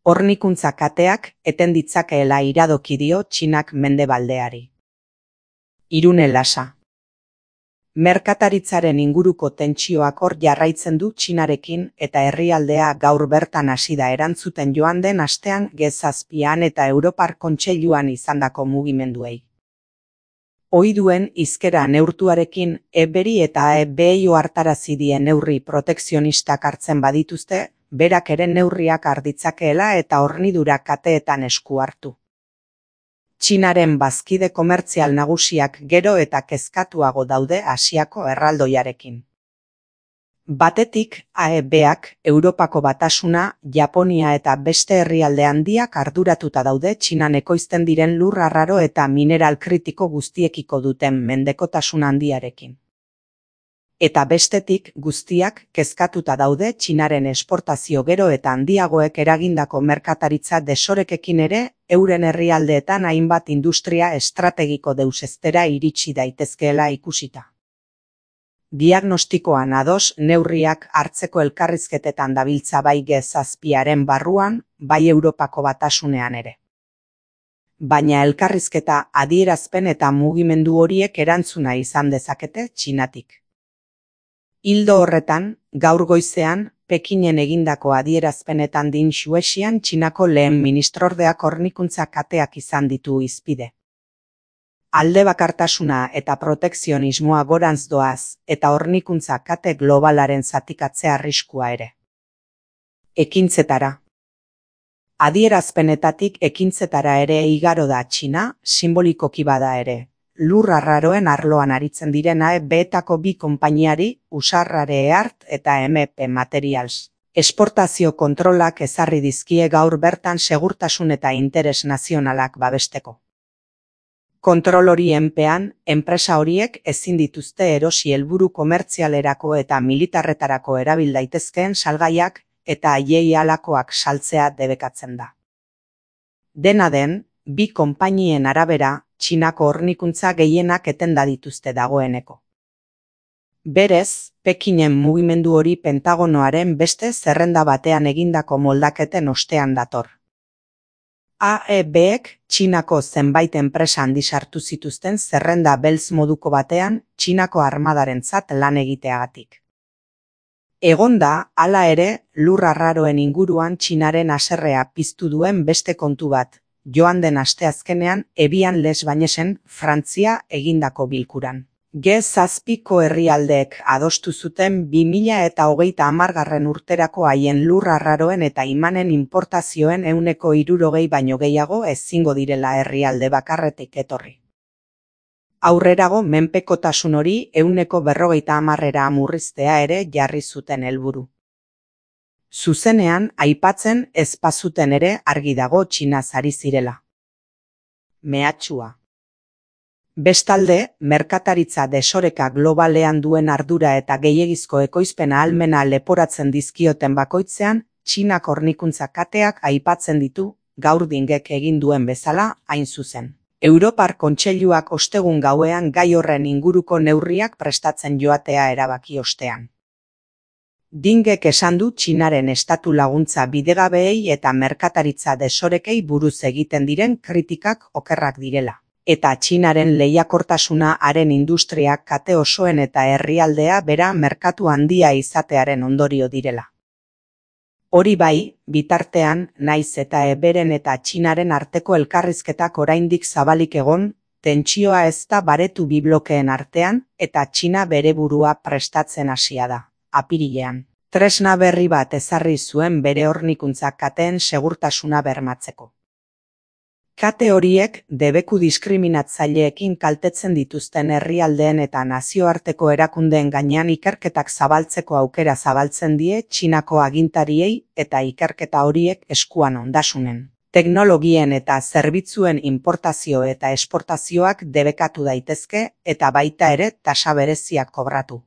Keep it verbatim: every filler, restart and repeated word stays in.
Hornikuntza kateak eten ditzakeela iradoki dio Txinak mendebaldeari. Irune Lasa. Merkataritzaren inguruko tentsioak hor jarraitzen du Txinarekin eta herrialdea gaur bertan hasi da erantzuten joan den astean Ge zazpian eta Europar Kontseiluan izandako mugimenduei. Ohi duen hizkera neurtuarekin E beri eta E behi ohartarazi die neurri protekzionistak hartzen badituzte, berak ere neurriak har ditzakeela eta hornidura kateetan esku hartu. Txinaren bazkide komertzial nagusiak gero eta kezkatuago daude Asiako erraldoiarekin. Batetik, A E beak, Europako Batasuna, Japonia eta beste herrialde handiak arduratuta daude Txinan ekoizten diren lur arraro eta mineral kritiko guztiekiko duten mendekotasun handiarekin. Eta bestetik, guztiak kezkatuta daude Txinaren esportazio gero eta handiagoek eragindako merkataritza desorekekin ere, euren herrialdeetan hainbat industria estrategiko deuseztera iritsi daitezkeela ikusita. Diagnostikoan ados neurriak hartzeko elkarrizketetan dabiltza bai Ge zazpiaren barruan, bai Europako Batasunean ere. Baina elkarrizketa adierazpen eta mugimendu horiek erantzuna izan dezakete Txinatik. Ildo horretan, gaur goizean, Pekinen egindako adierazpenetan din Xuexian Txinako lehen ministrordeak hornikuntza kateak izan ditu hizpide. Alde bakartasuna eta protekzionismoa gorantz doaz, eta hornikuntza kate globalaren zatikatzea arriskua ere. Ekintzetara. Adierazpenetatik ekintzetara ere igaro da Txina, simbolikoki bada ere. Lur arraroen arloan aritzen diren A E beetako bi konpainiari, Usarrare Eart eta M P Materials. Esportazio kontrolak ezarri dizkie gaur bertan segurtasun eta interes nazionalak babesteko. Kontrol horienpean, enpresa horiek ezin dituzte erosi helburu komertzialerako eta militarretarako erabil daitezkeen salgaiak eta haiei halakoak saltzea debekatzen da. Dena den, bi konpainien arabera, Txinako hornikuntza gehienak etenda dituzte dagoeneko. Berez, Pekinen mugimendu hori Pentagonoaren beste zerrenda batean egindako moldaketen ostean dator. A E beek Txinako zenbait enpresa handi sartu zituzten zerrenda beltz moduko batean Txinako armadarentzat lan egiteagatik. Egonda, hala ere, lur arraroen inguruan Txinaren haserrea piztu duen beste kontu bat, joan den asteazkenean Ebian Les Bagnesen, Frantzia egindako bilkuran. Ge zazpiko herrialdeek adostu zuten bi mila eta hogeita hamargarren urterako haien lur arraroen eta imanen importazioen ehuneko hirurogei baino gehiago ezingo direla herrialde bakarretik etorri. Aurrerago menpekotasun hori ehuneko berrogeita hamarrera murriztea ere jarri zuten helburu. Zuzenean aipatzen ez bazuten ere argi dago Txinaz ari zirela. Mehatxua. Bestalde, merkataritza desoreka globalean duen ardura eta gehiegizko ekoizpena ahalmena leporatzen dizkioten bakoitzean, Txinak hornikuntza kateak aipatzen ditu, gaur dingek egin duen bezala, hain zuzen. Europar Kontseiluak ostegun gauean gai horren inguruko neurriak prestatzen joatea erabaki ostean. Dingek esan du Txinaren estatu laguntza bidegabeei eta merkataritza desorekei buruz egiten diren kritikak okerrak direla. Eta Txinaren lehiakortasuna haren industriak kate osoen eta herrialdea bera merkatu handia izatearen ondorio direla. Hori bai, bitartean, naiz eta Eberen eta Txinaren arteko elkarrizketak oraindik zabalik egon, tentsioa ez da baretu bi blokeen artean eta Txina bere burua prestatzen hasia da. Apirilean, tresna berri bat ezarri zuen bere hornikuntza kateen segurtasuna bermatzeko. Kate horiek debeku diskriminatzaileekin kaltetzen dituzten herrialdeen eta nazioarteko erakundeen gainean ikerketak zabaltzeko aukera zabaltzen die Txinako agintariei eta ikerketa horiek eskuan ondasunen, teknologien eta zerbitzuen importazio eta esportazioak debekatu daitezke eta baita ere tasa bereziak kobratu.